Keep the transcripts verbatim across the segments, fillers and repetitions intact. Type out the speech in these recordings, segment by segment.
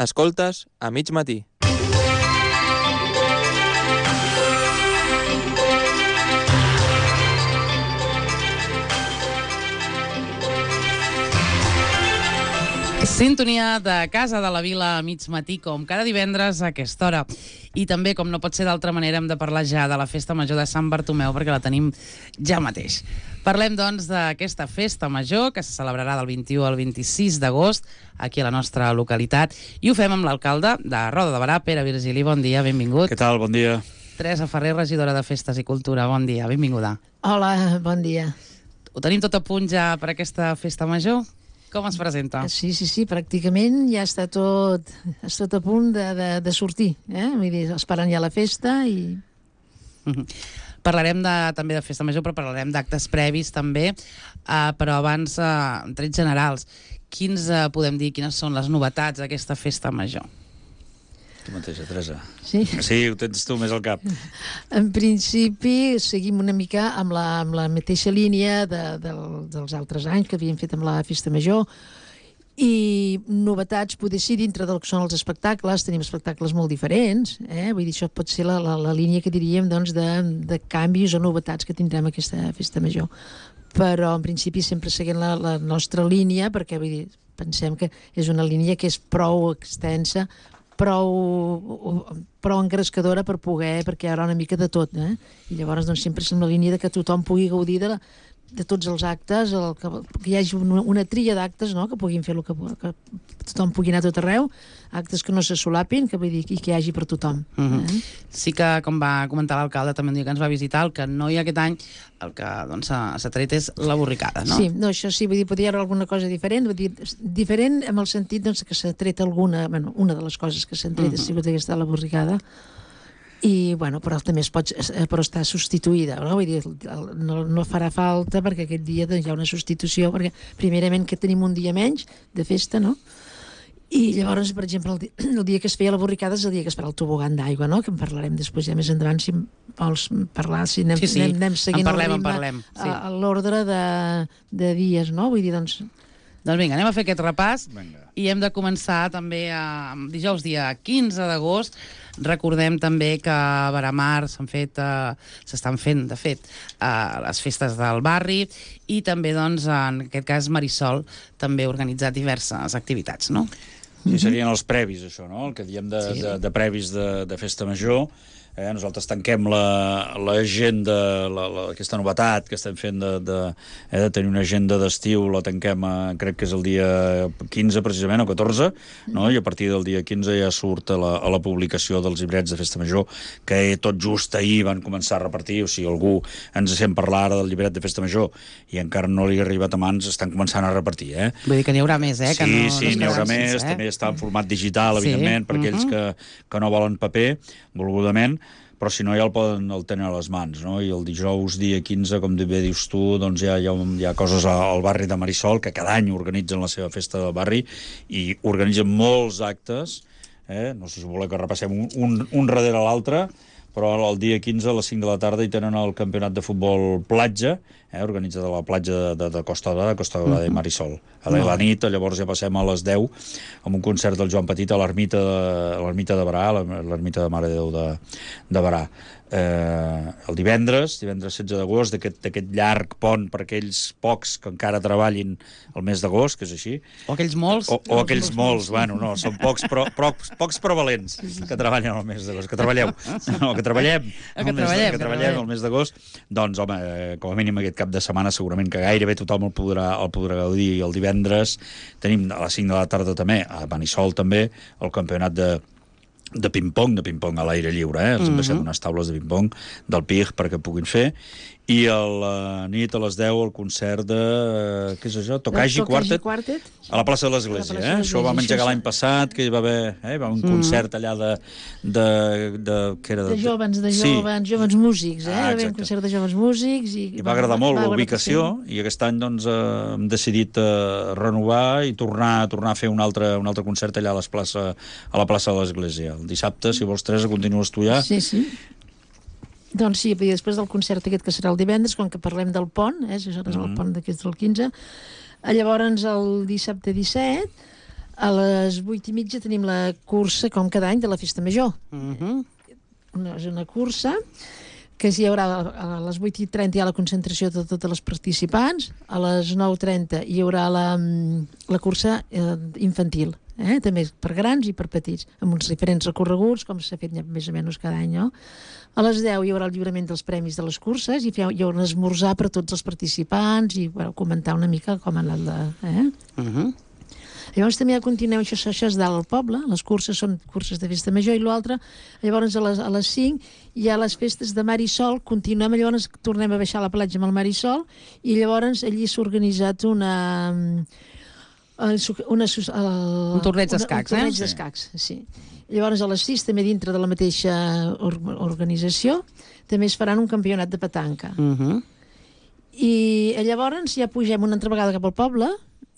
Escoltes a mig matí. Sintonia de Casa de la Vila a mig matí, com cada divendres a aquesta hora. I també, com no pot ser d'altra manera, hem de parlar ja de la Festa Major de Sant Bartomeu, perquè la tenim ja mateix. Parlem, doncs, d'aquesta Festa Major, que se celebrarà del vint-i-u al vint-i-sis d'agost, aquí a la nostra localitat, i ho fem amb l'alcalde de Roda de Berà, Pere Virgili. Bon dia, benvingut. Què tal? Bon dia. Teresa Ferrer, regidora de Festes i Cultura. Bon dia, benvinguda. Hola, bon dia. Ho tenim tot a punt ja per aquesta Festa Major? Com es presenta? Sí, sí, sí, pràcticament ja està tot, està tot a punt de, de, de sortir. Eh? Vull dir, esperant ja la festa i... Mm-hmm. Parlarem de, també de Festa Major, però parlarem d'actes previs també, uh, però abans, uh, en trets generals, quins uh, podem dir, quines són les novetats d'aquesta Festa Major? Tu mateixa, Teresa. Sí? Sí, ho tens tu més al cap. En principi, seguim una mica amb la, amb la mateixa línia de, de, dels altres anys que havíem fet amb la Festa Major, i novetats, poder ser dintre del que són els espectacles, tenim espectacles molt diferents, eh? Vull dir, això pot ser la, la, la línia que diríem, doncs, de, de canvis o novetats que tindrem aquesta Festa Major. Però, en principi, sempre seguint la, la nostra línia, perquè, vull dir, pensem que és una línia que és prou extensa, prou, prou engrescadora per poder, perquè hi haurà una mica de tot, eh? I llavors, doncs, sempre és una línia de que tothom pugui gaudir de la, de tots els actes, el, que, que hi hagi una, una tria d'actes, no?, que puguin fer el que, que tothom pugui anar a tot arreu, actes que no se solapin, que vull dir, i que hi hagi per tothom. Mm-hmm. eh? Sí que, com va comentar l'alcalde també un dia que ens va visitar, el que no hi ha aquest any, el que doncs, s'ha tret és la borricada, no? Sí, no, això sí, vull dir, podria haver alguna cosa diferent, vull dir, diferent en el sentit, doncs, que s'ha tret alguna, bueno, una de les coses que s'han tret mm-hmm. ha sigut aquesta la borricada, i, bueno, però també es pot, però està substituïda, no? Vull dir, no, no farà falta perquè aquest dia doncs, hi ha una substitució, perquè primerament que tenim un dia menys de festa, no? I llavors, per exemple, el dia, el dia que es feia la borricada és el dia que es farà el tobogan d'aigua, no? Que en parlarem després ja més endavant, si vols parlar, si anem, sí, sí. anem, anem seguint en parlem, el ritme en parlem, sí. a, a l'ordre de, de dies, no? Vull dir, doncs... Doncs vinga, anem a fer aquest repàs. Vinga. I hem de començar també a, dijous dia quinze d'agost. Recordem també que a Veramar s'han fet, uh, s'estan fent, de fet, uh, les festes del barri, i també, doncs, en aquest cas, Marisol també ha organitzat diverses activitats, no? Sí, serien els previs, això, no? El que diem de, Sí. de, de previs de, de Festa Major. Eh, nosaltres tanquem l'agenda, la, la, aquesta novetat que estem fent de, de, eh, de tenir una agenda d'estiu, la tanquem, a, crec que és el dia quinze precisament, o catorze, no? I a partir del dia quinze ja surt a la, a la publicació dels llibrets de Festa Major, que tot just ahir van començar a repartir, o sigui, algú ens sent parlar ara del llibret de Festa Major i encara no li ha arribat a mans, estan començant a repartir, eh? Vull dir que n'hi haurà més, eh? Sí, que no, sí, no n'hi haurà sense, més, eh? també està en format digital, evidentment, Sí. per aquells que, que no volen paper, volgudament, però si no ja el poden el tenen a les mans, no? I el dijous, dia quinze, com bé dius tu, doncs ja hi ha, hi ha coses al barri de Marisol, que cada any organitzen la seva festa del barri, i organitzen molts actes, eh? No sé si voleu que repassem un, un, un darrere l'altre, però el dia quinze a les cinc de la tarda hi tenen el campionat de futbol platja, eh, organitzat a la platja de, de, de Costa Dorada, Costa Dorada uh-huh. de Marisol. A la nit, llavors ja passem a les deu amb un concert del Joan Petit a l'ermita de, l'ermita de Berà, l'ermita de Mare de Déu de, de Berà. Eh, el divendres, divendres setze d'agost, d'aquest llarg pont per aquells pocs que encara treballin el mes d'agost, que és així. O aquells molts. O, o aquells molts, bueno, no, són pocs però, però, pocs però valents que treballen el mes d'agost, que treballeu. No, que treballem. Que el mes, treballem, que treballem el mes d'agost. Doncs, home, eh, com a mínim aquest cap de setmana segurament que gairebé tothom el podrà, el podrà gaudir. I el divendres tenim a les cinc de la tarda també, a Manisol també, el campionat de de ping-pong, de ping-pong a l'aire lliure, eh? Els hem deixat unes taules de ping-pong del P I G perquè puguin fer, i a la nit a les deu el concert de... Uh, què és això? Tokaji Quartet? Quartet? A la plaça de l'Església, eh? Això ho vam engegar l'any passat, que hi va haver eh? va un concert allà de... de, de, que era de joves, de joves, sí. joves músics, eh? Ah, va haver un concert de joves músics i... I va agradar molt la ubicació, i aquest any doncs eh, hem decidit eh, renovar i tornar, tornar a fer un altre, un altre concert allà a, les plaça, a la plaça de l'Església. El dissabte, si vols, Teresa, continues tu ja. Sí, sí. Doncs sí, després del concert aquest que serà el divendres, quan que parlem del pont, eh, això és el pont d'aquest del quinze, llavors el dissabte disset A les vuit i mitja tenim la cursa, com cada any, de la Festa Major. Uh -huh. Una, és una cursa que hi haurà a les vuit i trenta hi ha la concentració de totes les participants, a les nou i trenta hi haurà la, la cursa eh, infantil, eh? També per grans i per petits, amb uns diferents recorreguts, com s'ha fet més o menys cada any, no? A les deu hi haurà el lliurament dels premis de les curses i hi haurà un esmorzar per a tots els participants i bueno, comentar una mica com ha anat la... Eh? Uh -huh. Llavors també continuem, això, això és dalt al poble, les curses són curses de festa major i l'altre, llavors a les, a les cinc hi ha les festes de mar i sol, continuem, llavors tornem a baixar a la platja amb el mar i sol i llavors allí s'ha organitzat una... una, una el, un torneig d'escacs, eh? Un torneig eh? d'escacs, sí. Llavors a les sis, també dintre de la mateixa or organització, també es faran un campionat de petanca. Uh -huh. I llavors ja pugem una altra vegada cap al poble,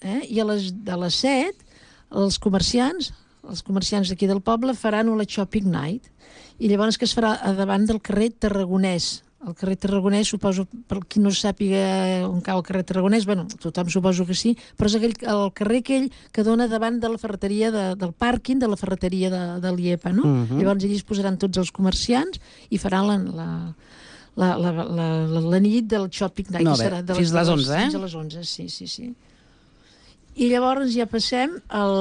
eh? I a les, a les set els comerciants, els comerciants d'aquí del poble faran una shopping night i llavors que es farà a davant del carrer Tarragonès. El carrer Tarragonès, suposo, per qui no sàpiga on cau el carrer Tarragonès, bueno, tothom suposo que sí, però és aquell, el carrer aquell que dona davant de la ferreteria, de, del pàrquing de la ferreteria de, de l'Iepa, no? Uh -huh. Llavors allí es posaran tots els comerciants i faran la... la La, la, la, la, la nit del shopping night, no, que serà de fins les onze, eh? Fins a les onze, sí, sí, sí. I llavors ja passem al,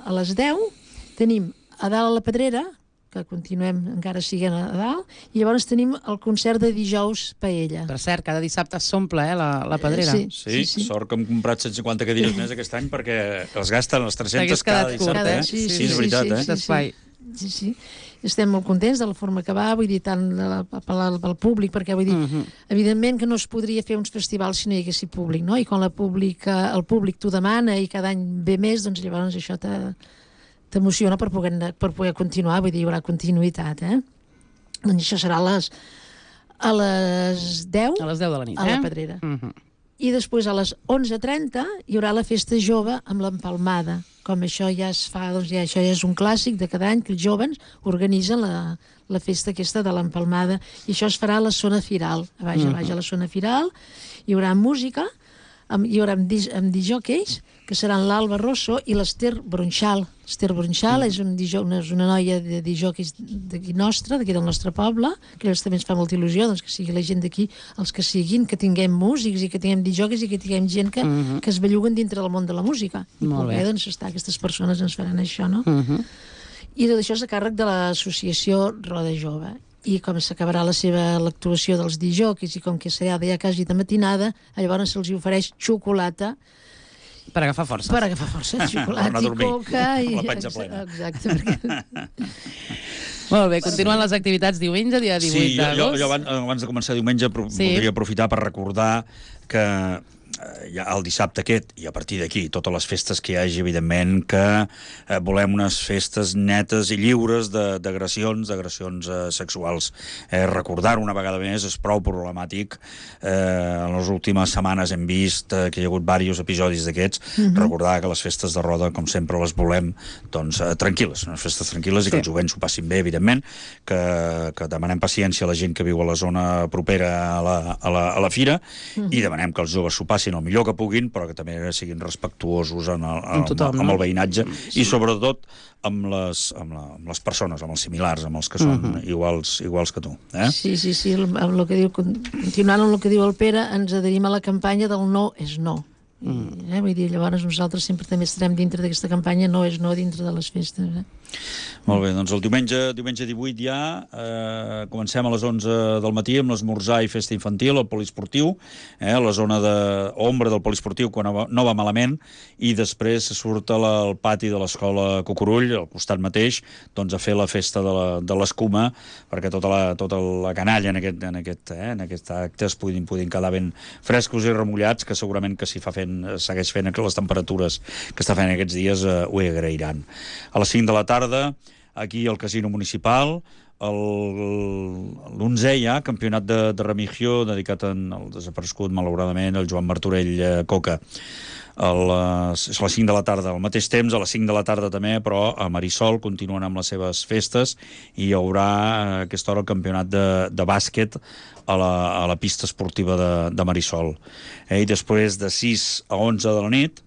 a les deu, tenim a dalt a la Pedrera, que continuem encara siguent a dalt, i llavors tenim el concert de dijous Paella. Per cert, cada dissabte s'omple, eh, la, la Pedrera. Sí, Sí, sí, sí. sort que hem comprat cent cinquanta cadires més aquest any perquè els gasten les tres-centes cada T'hagués quedat dissabte, curt, eh? eh? Sí, Sí, és veritat, eh? sí, D'espai. Sí, sí. Estem molt contents de la forma que va, vull dir, tant de la, pel, pel públic, perquè vull dir, Uh -huh. evidentment que no es podria fer uns festivals si no hi haguessi públic, no? I quan la públic, el públic t'ho demana i cada any ve més, doncs llavors això t'emociona per poder, per poder continuar, vull dir, hi haurà continuïtat, eh? Doncs això serà a les, a les deu, A les deu de la nit, a eh? la Pedrera. Uh -huh. I després a les onze i trenta hi haurà la festa jove amb l'empalmada. Com això ja es fa, doncs ja, això ja és un clàssic de cada any, que els joves organitzen la, la festa aquesta de l'empalmada. I això es farà a la zona firal, a baix, a baix a la zona firal. Hi haurà música, amb, hi haurà amb, dis, amb disjòqueis, que seran l'Alba Rosso i l'Ester Bronxal. Esther Bronxal mm. és, un dijó, una, és una noia de disjòqueis d'aquí nostre, d'aquí del nostre poble, que ells també ens fa molta il·lusió, doncs que sigui la gent d'aquí, els que siguin, que tinguem músics i que tinguem disjòqueis i que tinguem gent que, mm -hmm. que es belluguen dintre del món de la música. I Molt poder, bé. doncs, estar, aquestes persones ens faran això, no? Uh -huh. I tot això és a càrrec de l'associació Roda Jove. I com s'acabarà la seva l'actuació dels disjòqueis i com que serà ja quasi de matinada, llavors se'ls ofereix xocolata Per agafar força. per agafar força, Per xocolata anar a i dormir, coca. I, amb la panxa plena. Exacte, perquè... Molt bé, continuen les activitats diumenge, dia divuit Sí, jo, jo, d'agost. jo abans, abans de començar diumenge pro Sí. voldria aprofitar per recordar que eh, ja el dissabte aquest, i a partir d'aquí, totes les festes que hi hagi, evidentment, que eh, volem unes festes netes i lliures d'agressions, d'agressions eh, sexuals. Eh, Recordar una vegada més és prou problemàtic. Eh, en les últimes setmanes hem vist eh, que hi ha hagut diversos episodis d'aquests. Mm-hmm. Recordar que les festes de Roda, com sempre, les volem doncs, eh, tranquil·les, unes festes tranquil·les sí. i que els jovents s'ho passin bé, evidentment, que, que demanem paciència a la gent que viu a la zona propera a la, a la, a la fira mm-hmm. i demanem que els joves s'ho passin el millor que puguin, però que també siguin respectuosos en el, amb, tothom, amb, amb no? el veïnatge sí. i sobretot amb les, amb, la, amb les persones, amb els similars, amb els que són uh-huh. iguals, iguals que tu. Eh? Sí, sí, sí, amb el que diu, continuant amb el que diu el Pere, ens adherim a la campanya del no és no. Mm. I, eh, vull dir, llavors nosaltres sempre també estarem dintre d'aquesta campanya no és no dintre de les festes. Eh? Molt bé, doncs el diumenge, diumenge divuit ja eh, comencem a les onze del matí amb l'esmorzar i festa infantil al poliesportiu, eh, a la zona d'ombra del poliesportiu quan no va, no va malament, i després surt al pati de l'escola Cucurull, al costat mateix, doncs a fer la festa de l'escuma, perquè tota la, tota la canalla en aquest, en, aquest, eh, en aquest acte es puguin, puguin quedar ben frescos i remullats, que segurament que si fa fent, segueix fent les temperatures que està fent aquests dies eh, ho agrairan. A les cinc de la tarda aquí al Casino Municipal, l'onzè ja, campionat de, de Remigio, dedicat al desaparegut, malauradament, el Joan Martorell eh, Coca. A les, a les cinc de la tarda, al mateix temps, a les cinc de la tarda també, però a Marisol continuen amb les seves festes i hi haurà a aquesta hora el campionat de, de bàsquet a la, a la pista esportiva de, de Marisol. Eh, I després de sis a onze de la nit,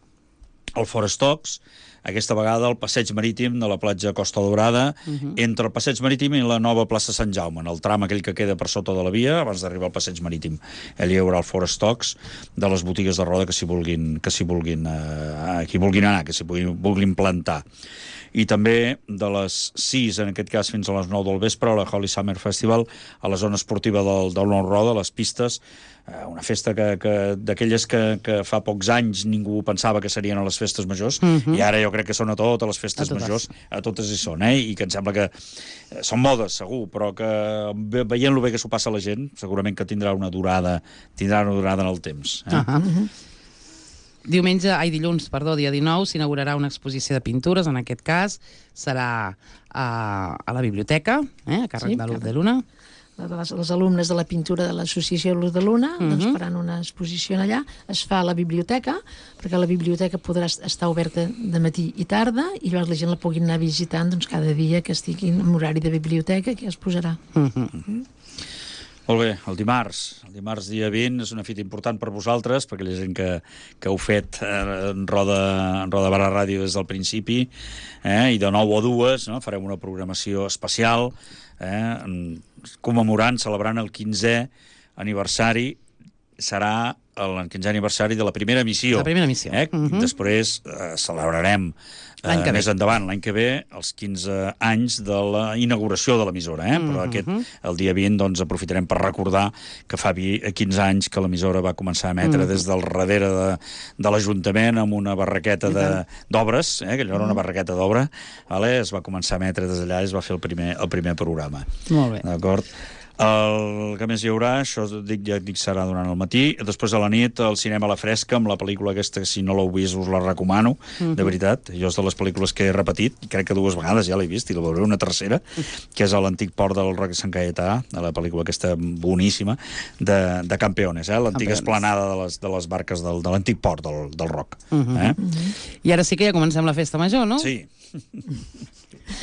el Forest Talks, aquesta vegada al passeig marítim de la platja Costa Daurada, uh-huh. entre el passeig marítim i la nova plaça Sant Jaume, en el tram aquell que queda per sota de la via, abans d'arribar al passeig marítim. Allà hi haurà el forestox de les botigues de roda que s'hi vulguin, que s'hi vulguin, eh, qui vulguin anar, que s'hi vulguin, vulguin plantar. I també de les sis, en aquest cas, fins a les nou del vespre, a la Holy Summer Festival, a la zona esportiva del, del Nou Roda, a les pistes, eh, una festa que, que d'aquelles que, que fa pocs anys ningú pensava que serien a les festes majors, uh-huh. i ara jo crec que són a totes les festes a totes. majors, a totes hi són, eh? I que em sembla que eh, són modes, segur, però que veient-lo bé que s'ho passa a la gent, segurament que tindrà una durada, tindrà una durada en el temps. Eh? Uh-huh. Uh-huh. Diumenge, ai, dilluns, perdó, dia dinou, s'inaugurarà una exposició de pintures, en aquest cas serà a, a la biblioteca, eh, a càrrec Sí, de l'Uz càrrec. de Luna. Les, les alumnes de la pintura de l'associació Luz de Luna uh-huh. doncs faran una exposició allà, es fa a la biblioteca, perquè la biblioteca podrà estar oberta de matí i tarda, i llavors la gent la puguin anar visitant doncs, cada dia que estigui en horari de biblioteca, que es posarà. Uh-huh. Uh-huh. Molt bé, el dimarts. El dimarts dia vint és una fita important per vosaltres, perquè la gent que, que heu fet eh, en Roda, en Roda Barra Ràdio des del principi, eh, i de nou a dues, no? Farem una programació especial, eh, commemorant, celebrant el quinzè aniversari, serà el quinzè aniversari de la primera emissió. La primera emissió. Eh? Uh-huh. Després eh, celebrarem L'any que eh, ve. més endavant, l'any que ve, els quinze anys de la inauguració de l'emissora, eh? Però aquest, el dia vint, doncs, aprofitarem per recordar que fa quinze anys que l'emissora va començar a emetre mm. des del darrere de, de l'Ajuntament amb una barraqueta d'obres, eh? Que allò era una barraqueta d'obra, vale? Es va començar a emetre des d'allà i es va fer el primer, el primer programa. Molt bé. D'acord? El que més hi haurà, això dic, ja dic, serà durant el matí. Després a la nit, el cinema a la fresca, amb la pel·lícula aquesta, que si no l'heu vist us la recomano, uh-huh. de veritat. Jo és de les pel·lícules que he repetit, i crec que dues vegades ja l'he vist, i la veuré una tercera, que és a l'antic port del Roc de Sant Caietà, de la pel·lícula aquesta boníssima, de, de Campeones, eh? L'antiga esplanada de les, de les barques del, de l'antic port del, del Roc. Uh-huh. Eh? Uh-huh. I ara sí que ja comencem la festa major, no? Sí.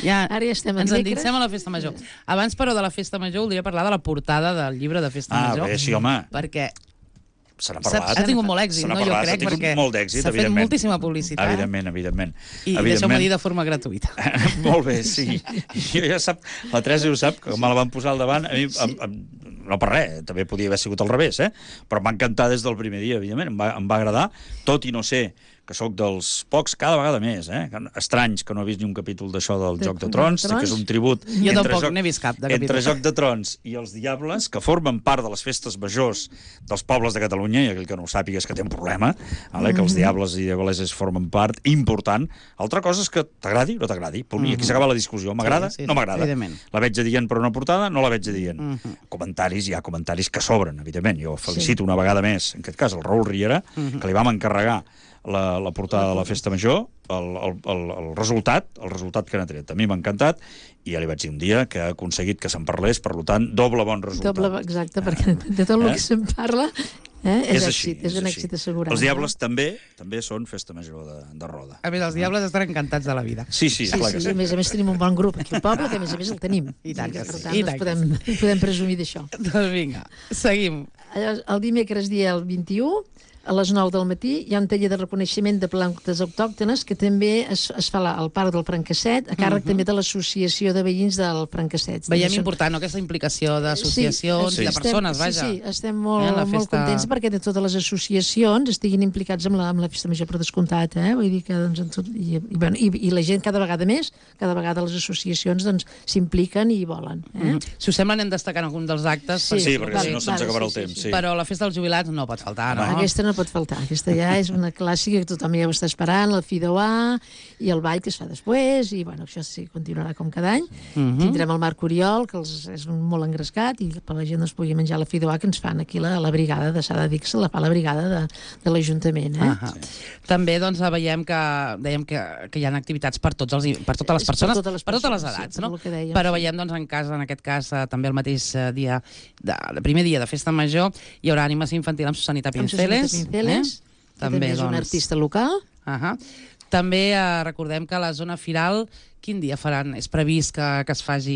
Ja, Ara ja estem en ens dimecres. endinsem a la festa major. Abans, però, de la festa major, voldria parlar de la portada del llibre de festa Ah, major. bé, sí, home. Perquè Se n'ha s'ha parlat. ha tingut molt èxit, Se n'ha no? Jo parlat, crec, s'ha tingut perquè molt d'èxit, s'ha fet evidentment. moltíssima publicitat. Evidentment, evidentment. I deixeu-me dir de forma gratuïta. Molt bé, sí. Jo ja sap, la Teresa ho sap, que me la van posar al davant, a mi, em, em, no per res, també podia haver sigut al revés, eh? Però em va encantar des del primer dia, evidentment, em va, em va agradar, tot i no sé que sóc dels pocs, cada vegada més, eh? Estranys que no he vist ni un capítol d'això del De- Joc de de Trons, Trons? que és un tribut Jo entre tampoc Joc- n'he vist cap de capítol. entre Joc de Trons i els Diables, que formen part de les festes majors dels pobles de Catalunya, i aquell que no ho sàpiga és que té un problema, vale? Que els Diables i Diableses formen part important. Altra cosa és que t'agradi o no t'agradi. I aquí s'acaba la discussió. M'agrada? Sí, sí, no m'agrada. evidentment. La veig adient per una portada? No la veig adient. Comentaris, hi ha comentaris que sobren, evidentment. Jo felicito una vegada més, en aquest cas, el Raül Riera, que li vam encarregar la, la portada de la Festa Major, el, el, el, el resultat, el resultat que n'ha tret. A mi m'ha encantat, i ja li vaig dir un dia que ha aconseguit que se'n parlés, per tant, doble bon resultat. Doble, exacte, perquè de tot el Eh? que se'n parla eh, és, És així, èxit, és un així. èxit assegurat. Els Diables també també són Festa Major de, de Roda. A més, els diables estan encantats de la vida. Sí, sí, Sí, clar sí, que sí. a més a més tenim un bon grup aquí al poble, que a més a més el tenim. I tant que per sí, tant, i doncs tant que podem, podem presumir d'això. Doncs vinga, seguim. Llavors, el dimecres dia el vint-i-u, a les nou del matí, hi ha un taller de reconeixement de plantes autòctones que també es, es fa al Parc del Francasset, a càrrec uh -huh. també de l'Associació de Veïns del Francasset. Veiem També són- important, no?, aquesta implicació d'associacions Sí, i de estem- persones, vaja. Sí, sí, estem molt, Eh, la molt festa- contents perquè de totes les associacions estiguin implicats amb la, amb la Festa Major per descomptat, eh? Vull dir que, doncs, en tot, i, i, bueno, i, i la gent cada vegada més, cada vegada les associacions doncs, s'impliquen i volen. Eh? Mm -hmm. Si us sembla, anem destacant algun dels actes. Sí, Sí, perquè vale, si no se'ns vale, acabarà sí, el sí, temps. sí. Sí. Però la festa dels jubilats no pot faltar, no? Aquesta no pot faltar, aquesta ja és una clàssica que tothom ja ho està esperant, el Fideuà i el ball que es fa després, i bueno, això sí, continuarà com cada any. Uh -huh. Tindrem el Marc Oriol, que els, és molt engrescat, i per la gent es pugui menjar la Fideuà que ens fan aquí la, la brigada de Sada Dix, la fa la brigada de, de l'Ajuntament. Eh? Ah, sí. També doncs, veiem que, dèiem que, que hi ha activitats per, tots els, per totes les És per persones, totes les per totes les persones, sí, edats, per no? lo que dèiem, Però sí. veiem, doncs, en cas, en aquest cas, eh, també el mateix eh, dia, de, el primer dia de Festa Major, hi haurà animació infantil amb Susanita Amb Susanita Pinceles. Pinceles, eh? que també és un doncs, artista local. Uh -huh. També eh, recordem que la zona firal, quin dia faran? És previst que, que es faci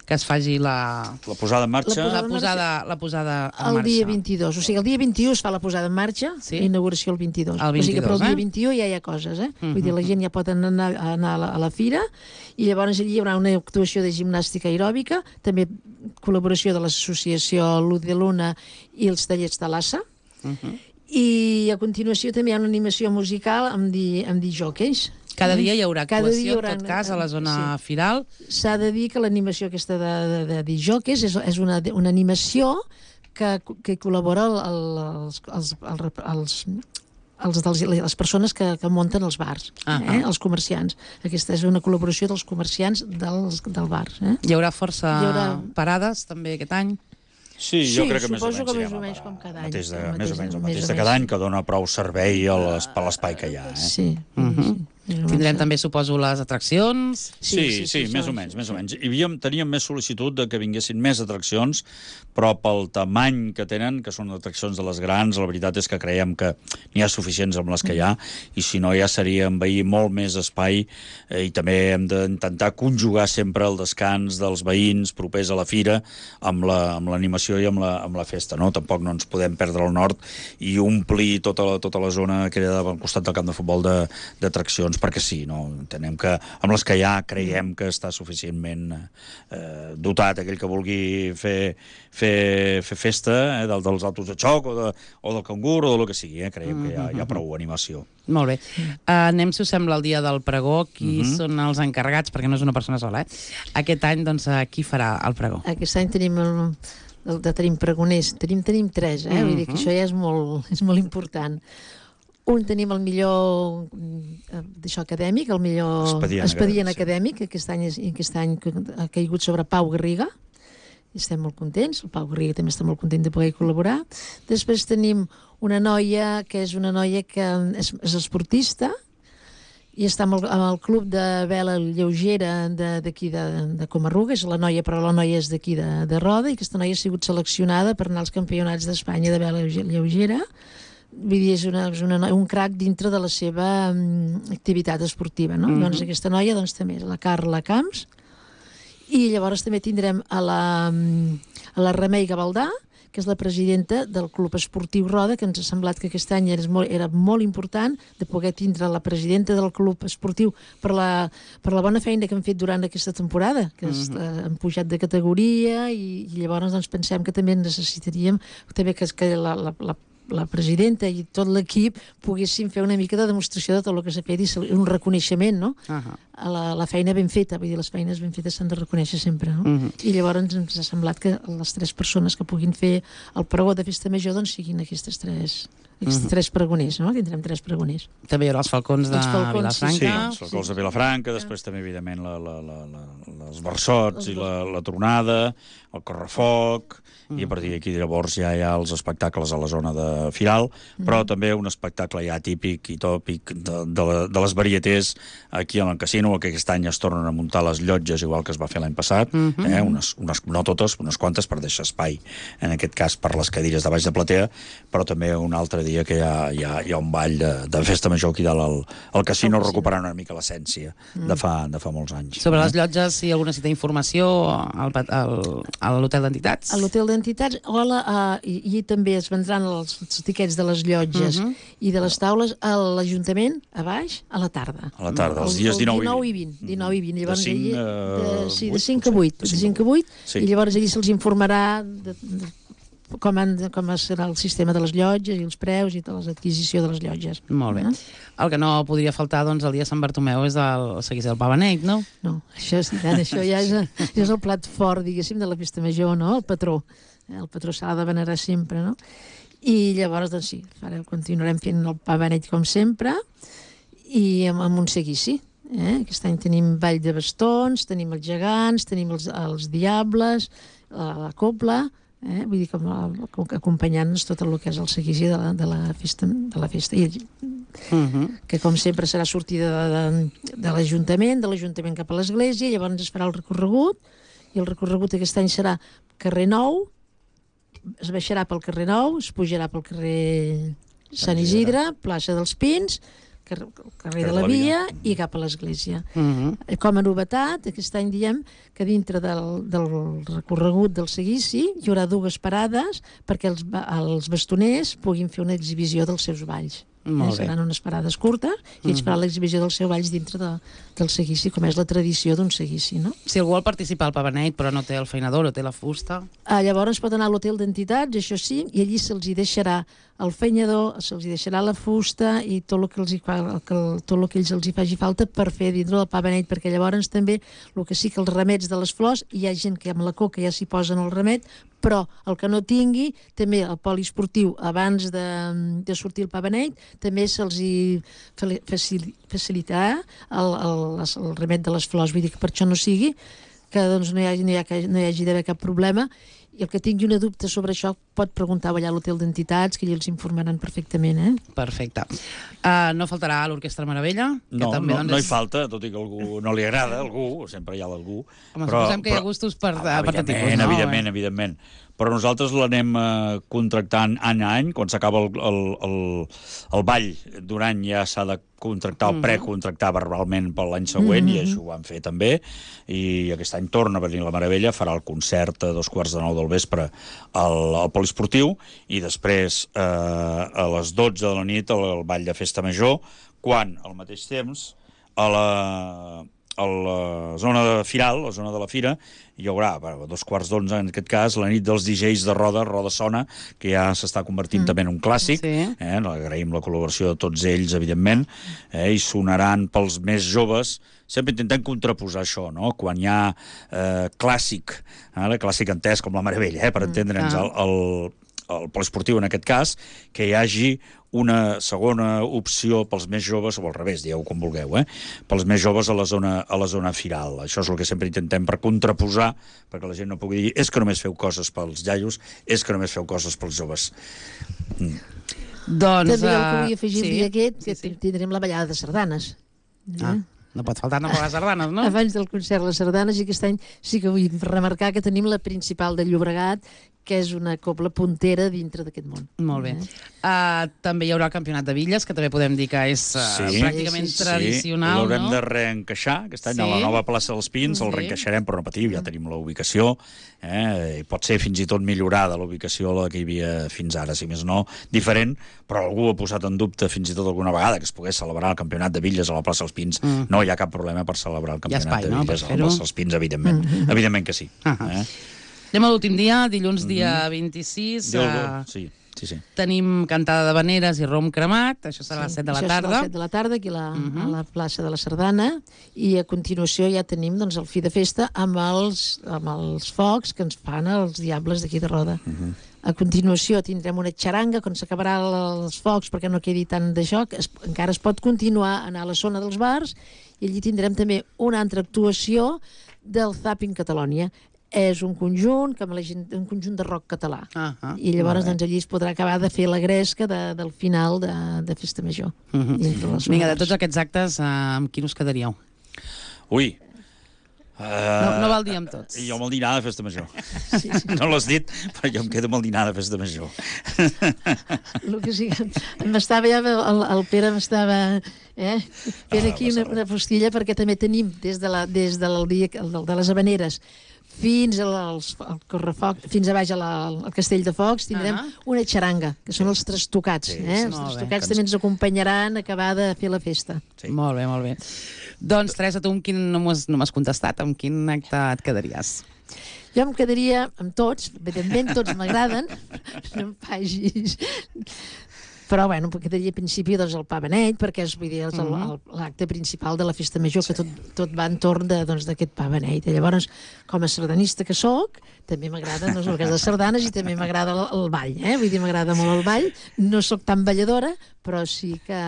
que es faci la, La posada en marxa... la posada, la posada en El marxa. dia vint-i-dos. O sigui, el dia vint-i-u es fa la posada en marxa, Sí? inauguració el vint-i-dos. El O sigui que però el vint-i-dos, dia eh? vint-i-u ja hi ha coses, eh? Mhm. Vull dir, la gent ja pot anar, anar a, la, a la fira i llavors allí hi haurà una actuació de gimnàstica aeròbica, també col·laboració de l'associació Luz de Luna i els tallers de l'Assa. Mhm. I a continuació també hi ha una animació musical amb, di, amb disjòqueis. Cada dia hi haurà Cada actuació, dia hi haurà- en tot cas, a la zona sí. firal. S'ha de dir que l'animació aquesta de, de, de disjòqueis és, és una, una animació que, que col·labora el, el, els, els, els, els, els, dels, les persones que, que munten els bars, Ah, eh? ah. Els comerciants. Aquesta és una col·laboració dels comerciants dels, del bar. Eh? Hi haurà força Hi haurà- parades, també, aquest any. Sí, jo Sí, crec que més o suposo menys que més anirem o a menys parar. com cada any. Mateix de, El més o mateix- menys el més mateix o de menys. cada any, que dona prou servei a les- per l'espai que hi ha. Eh? Sí. Mhm. sí. Tindrem també, suposo, les atraccions. Sí, sí, sí, sí, més això- o menys, més o menys. Hi havíem, teníem més sol·licitud de que vinguessin més atraccions, però pel tamany que tenen, que són atraccions de les grans, la veritat és que creiem que n'hi ha suficients amb les que hi ha, i si no ja seria envair molt més espai, eh, i també hem d'intentar conjugar sempre el descans dels veïns propers a la fira amb la, amb l'animació i amb la, amb la festa, no? Tampoc no ens podem perdre al nord i omplir tota la, tota la zona que era al costat del camp de futbol de, d'atraccions, perquè sí, no? Entenem que amb les que hi ha creiem que està suficientment eh, dotat aquell que vulgui fer, fer, fer festa, eh, del, dels autos de xoc o, de, o del cangur o del que sigui, eh? Creiem que hi ha, hi ha prou animació. Molt bé. Uh, anem, si us sembla, al dia del pregó. Qui Mhm. són els encarregats? Perquè no és una persona sola, eh? Aquest any, doncs, uh, qui farà el pregó? Aquest any tenim el, el de tenim pregoners, tenim, tenim tres, eh? Vull dir que Mhm. això ja és molt, és molt important. Un tenim el millor eh, d'això acadèmic, el millor Expedient expedient acadèmic, acadèmic, que aquest any, és, aquest any ha caigut sobre Pau Garriga, i estem molt contents, el Pau Garriga també està molt content de poder col·laborar. Després tenim una noia que és una noia que és, és esportista, i està amb el, amb el club de vela lleugera d'aquí de, de, de Comarruga, és la noia, però la noia és d'aquí de, de Roda, i aquesta noia ha sigut seleccionada per anar als campionats d'Espanya de vela lleugera. Vull dir, és, una, és una, un crac dintre de la seva um, activitat esportiva, no? Mhm. Doncs aquesta noia doncs, també és la Carla Camps, i llavors també tindrem a la, um, a la Remei Gavaldà, que és la presidenta del Club Esportiu Roda, que ens ha semblat que aquest any era molt, era molt important de poder tindre la presidenta del Club Esportiu per la, per la bona feina que han fet durant aquesta temporada, que mm -hmm. uh, han pujat de categoria, i, i llavors doncs, pensem que també necessitaríem també que, que la, la, la la presidenta i tot l'equip poguessin fer una mica de demostració de tot el que s'ha fet i un reconeixement, no? Uh -huh. A la, la feina ben feta, vull dir, les feines ben fetes s'han de reconèixer sempre, no? Uh -huh. I llavors ens ha semblat que les tres persones que puguin fer el pregó de festa major doncs siguin aquestes tres, aquests uh -huh. tres pregoners, no? Tindrem tres pregoners. També hi haurà els falcons de Els falcons, Sí, Vilafranca. els falcons de Vilafranca, després també, evidentment, la, la, la, la, els versots i la, la tronada, el correfoc, i a partir d'aquí llavors ja hi ha els espectacles a la zona de Firal, però també un espectacle ja típic i tòpic de, de, la, de les varietés aquí al casino, que aquest any es tornen a muntar les llotges, igual que es va fer l'any passat, eh? unes, unes, no totes, unes quantes, per deixar espai, en aquest cas per les cadires de baix de platea, però també un altre dia que hi ha, hi ha, hi ha un ball de, de festa major aquí dalt al, al casino, recuperant una mica l'essència de, fa, de fa molts anys. Sobre les llotges, si algú necessita informació, al, al, a l'hotel d'entitats? A l'hotel d'entitats, o la, uh, i, i també es vendran els, els tiquets de les llotges Mhm. i de les taules a l'Ajuntament, a baix, a la tarda. A la tarda, els El- dies el dinou i vint. dinou i vint. Llavors, De cinc allí, a de, sí, de vuit, cinc a potser? vuit. De De cinc a cinc a vuit. Sí. I llavors allí se'ls informarà de, de, com, han, com serà el sistema de les llotges i els preus i de l'adquisició de les llotges. Molt bé. Eh? El que no podria faltar, doncs, el dia de Sant Bartomeu és el seguís del Pa Beneit, no? No, això, és, això ja és, ja és el plat fort, diguéssim, de la festa major, no? El patró. El patró s'ha de venerar sempre, no? I llavors, doncs sí, ara continuarem fent el Pa Beneit com sempre i amb, amb un seguici. Eh? Aquest any tenim ball de bastons, tenim els gegants, tenim els, els diables, la, la copla, eh? Vull dir, com, com acompanyant-nos tot el que és el seguici de la, de la festa. De la festa. I, Uh -huh. que com sempre serà sortida de, de, de l'Ajuntament, de l'Ajuntament cap a l'Església, llavors es farà el recorregut, i el recorregut aquest any serà carrer Nou, es baixarà pel carrer Nou, es pujarà pel carrer Sant Isidre, plaça dels Pins, car carrer de la Via i cap a l'església. Mhm. Com a novetat, aquest any diem que dintre del, del recorregut del seguici hi haurà dues parades perquè els, ba- els bastoners puguin fer una exhibició dels seus balls. Molt eh? bé. Seran unes parades curtes i ells faran l'exhibició dels seus balls dintre de, del seguici, com és la tradició d'un seguici, no? Si algú vol participar al Pavaneit però no té el feinador o té la fusta... Ah, llavors pot anar a l'hotel d'entitats, això sí, i allí se'ls hi deixarà el fenyador, se'ls hi deixarà la fusta i tot el que, els hi fa, el que, tot el que ells els hi faci falta per fer dintre del pa beneit, perquè llavors també el que sí que els remets de les flors, hi ha gent que amb la coca ja s'hi posen el remet, però el que no tingui, també el poliesportiu, abans de, de sortir el pa beneit, també se'ls hi facil, facilitarà el, el, el remet de les flors, vull dir que per això no sigui, que doncs, no hi hagi, no hi hagi, no hi hagi d'haver cap problema. I el que tingui una dubte sobre això pot preguntar allà a l'hotel d'entitats, que ells els informaran perfectament, eh? Perfecte. Uh, no faltarà l'Orquestra Meravella? Que No, també, no, doncs, no hi és- falta, tot i que a algú no li agrada, a algú, sempre hi ha algú. Home, suposem que hi ha gustos per- Ah, per evidentment, tipus, no? Evidentment, evidentment. Però nosaltres l'anem eh, contractant any a any, quan s'acaba el, el, el, el ball d'un any ja s'ha de contractar o precontractar verbalment per l'any següent, i això ho vam fer també, i aquest any torna a venir la Meravella, farà el concert a dos quarts de nou del vespre al, al poliesportiu, i després eh, a les dotze de la nit el, el ball de festa major, quan al mateix temps a la, a la zona de Firal, la zona de la Fira, hi haurà, bueno, a dos quarts d'onze en aquest cas, la nit dels D Js de Roda, Roda Sona, que ja s'està convertint mm. també en un clàssic. Sí. Eh? Agraïm la col·laboració de tots ells, evidentment, eh? I sonaran pels més joves. Sempre intentem contraposar això, no? Quan hi ha eh, clàssic, eh? clàssic entès com la Meravella, eh? per entendre'ns, ah. el, el, el poliesportiu en aquest cas, que hi hagi una segona opció pels més joves, o al revés, dieu com vulgueu, eh? pels més joves a la zona, a la zona firal. Això és el que sempre intentem per contraposar, perquè la gent no pugui dir és que només feu coses pels iaios, és que només feu coses pels joves. Mm. Doncs... També el que uh, vull afegir sí. el dia aquest, que Sí, sí. tindrem la ballada de sardanes. Ah, no pot faltar tampoc les sardanes, no? Abans del concert les sardanes, i aquest any sí que vull remarcar que tenim la principal de Llobregat, que és una cobla puntera dintre d'aquest món. Molt bé. Eh? Uh, també hi haurà el Campionat de Villes, que també podem dir que és uh, Sí. pràcticament Sí, sí, sí. tradicional, L'haurem no? de reencaixar, aquest any Sí. a la nova plaça dels Pins, el Sí. reencaixarem, però no patiu, ja tenim la ubicació, eh? I pot ser fins i tot millorada la ubicació la que hi havia fins ara, si més no, diferent, però algú ha posat en dubte fins i tot alguna vegada que es pogués celebrar el Campionat de Villes a la plaça dels Pins. Mm. No hi ha cap problema per celebrar el Hi ha Campionat espai, de no, Villes per a la fer-ho? plaça dels Pins, evidentment. Mm-hmm. Evidentment que sí. Ah. Eh? Anem a l'últim dia, dilluns dia vint-i-sis. Déu, Uh, sí, sí, sí. tenim cantada de veneres i rom cremat, això serà a les set de la Això tarda. serà a les set de la tarda, aquí a la, Mhm. a la plaça de la Sardana, i a continuació ja tenim doncs, el fi de festa amb els, amb els focs que ens fan els diables d'aquí de Roda. Mhm. A continuació tindrem una xaranga, quan s'acabarà els focs, perquè no quedi tant de joc, es, encara es pot continuar a anar a la zona dels bars, i allí tindrem també una altra actuació del Zapping Catalonia. És un conjunt, com la gent, un conjunt de rock català. Ah, ah, I llavors molt bé. doncs, allí es podrà acabar de fer la gresca de, del final de, de Festa Major. Mhm. dintre la zona Vinga, de bars. tots aquests actes, uh, amb quin us quedaríeu? Ui, No, Uh, no val dir amb tots. Jo amb el dinar de festa major. Sí, sí. No l'has dit, però jo em quedo amb el dinar de festa major. El que sí que m'estava ja, el, el Pere m'estava eh, fent Ah, aquí passa una, res. una postilla, perquè també tenim des de, la, des del dia el, de les Havaneres fins al, als, al correfoc, fins a baix a la, al Castell de Focs, tindrem Ah. una xaranga, que són els trastocats. Sí, eh? sí, Els molt bé. trastocats també ens acompanyaran a acabar de fer la festa. Sí. Molt bé, molt bé. Doncs, Teresa, tu amb quin no m'has no m'has contestat? Amb quin acte et quedaries? Jo em quedaria amb tots, evidentment tots m'agraden, no em facis... Però, bueno, em quedaria a principi doncs, el pa beneit, perquè és, vull dir, és el- el- l'acte principal de la festa major, que tot, tot va entorn de, doncs, d'aquest pa beneit. I llavors, com a sardanista que sóc, també m'agrada doncs, el que és les sardanes, i també m'agrada el, el ball, eh? Vull dir, m'agrada molt el ball. No sóc tan balladora, però sí que...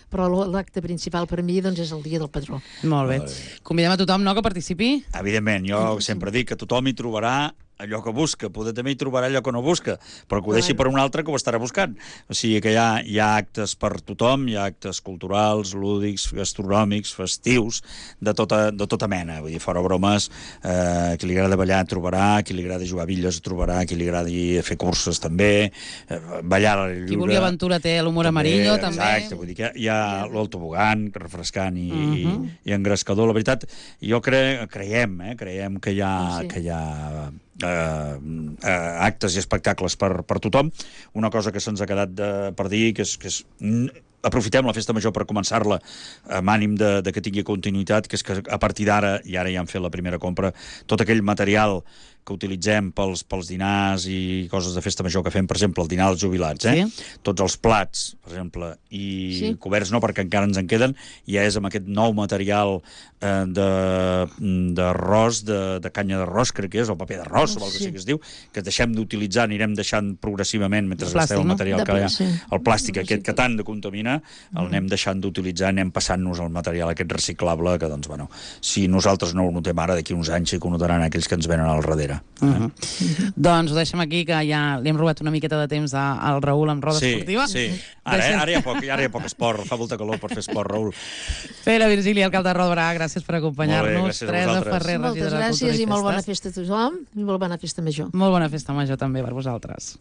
Però l'acte principal per mi doncs, és el dia del patró. Molt bé. Convidem a tothom, no?, que participi. Evidentment, jo sempre dic que tothom hi trobarà allò que busca. Poder també hi trobarà allò que no busca, però que ho deixi Clar. per un altre que ho estarà buscant. O sigui que hi ha, hi ha actes per tothom, hi ha actes culturals, lúdics, gastronòmics, festius, de tota, de tota mena. Vull dir, fora bromes, eh, qui li agrada ballar trobarà, qui li agrada jugar a bitlles trobarà, qui li agradi fer curses també, eh, ballar a l'aire lliure. Qui vulgui aventura té l'humor També, amarillo, també. Exacte, vull dir que hi ha l'autobogan, refrescant i, Mhm. i, i engrescador. La veritat, jo cre, creiem, eh, creiem que hi ha, Sí. que hi ha eh, eh, actes i espectacles per, per tothom. Una cosa que se'ns ha quedat de, per dir, que és, que és aprofitem la festa major per començar-la amb ànim de, de que tingui continuïtat, que és que a partir d'ara, i ara ja hem fet la primera compra, tot aquell material que utilitzem pels, pels dinars i coses de festa major que fem, per exemple, el dinar als jubilats, eh? Sí. Tots els plats, per exemple, i Sí. coberts no, perquè encara ens en queden, ja és amb aquest nou material eh, de- d'arròs, de, de canya d'arròs, crec que és, o paper d'arròs, o el que Sí. sí que es diu, que deixem d'utilitzar, anirem deixant progressivament, mentre El gasteu plàstic, el no? material De que hi ha, pla- sí. el plàstic Sí, aquest que sí. tant de contamina, el anem deixant d'utilitzar, anem passant-nos el material aquest reciclable, que doncs, bueno, si nosaltres no ho notem ara, d'aquí uns anys sí que ho notaran aquells que ens venen al darrere. Uh -huh. Doncs ho deixem aquí, que ja li hem robat una miqueta de temps a- al Raül amb roda Sí, esportiva. sí. Ara, eh? Deixem- ara, hi ha poc, ara hi ha poc esport, fa molta calor per fer esport, Raül. Pere Virgili, alcalde de Roda, gràcies per Molt acompanyar-nos. bé, gràcies a Teresa vosaltres. Ferrer, Moltes regidora de gràcies Cultura i molt bona Festes. festa a tothom i molt bona festa major. Molt bona festa major també per vosaltres.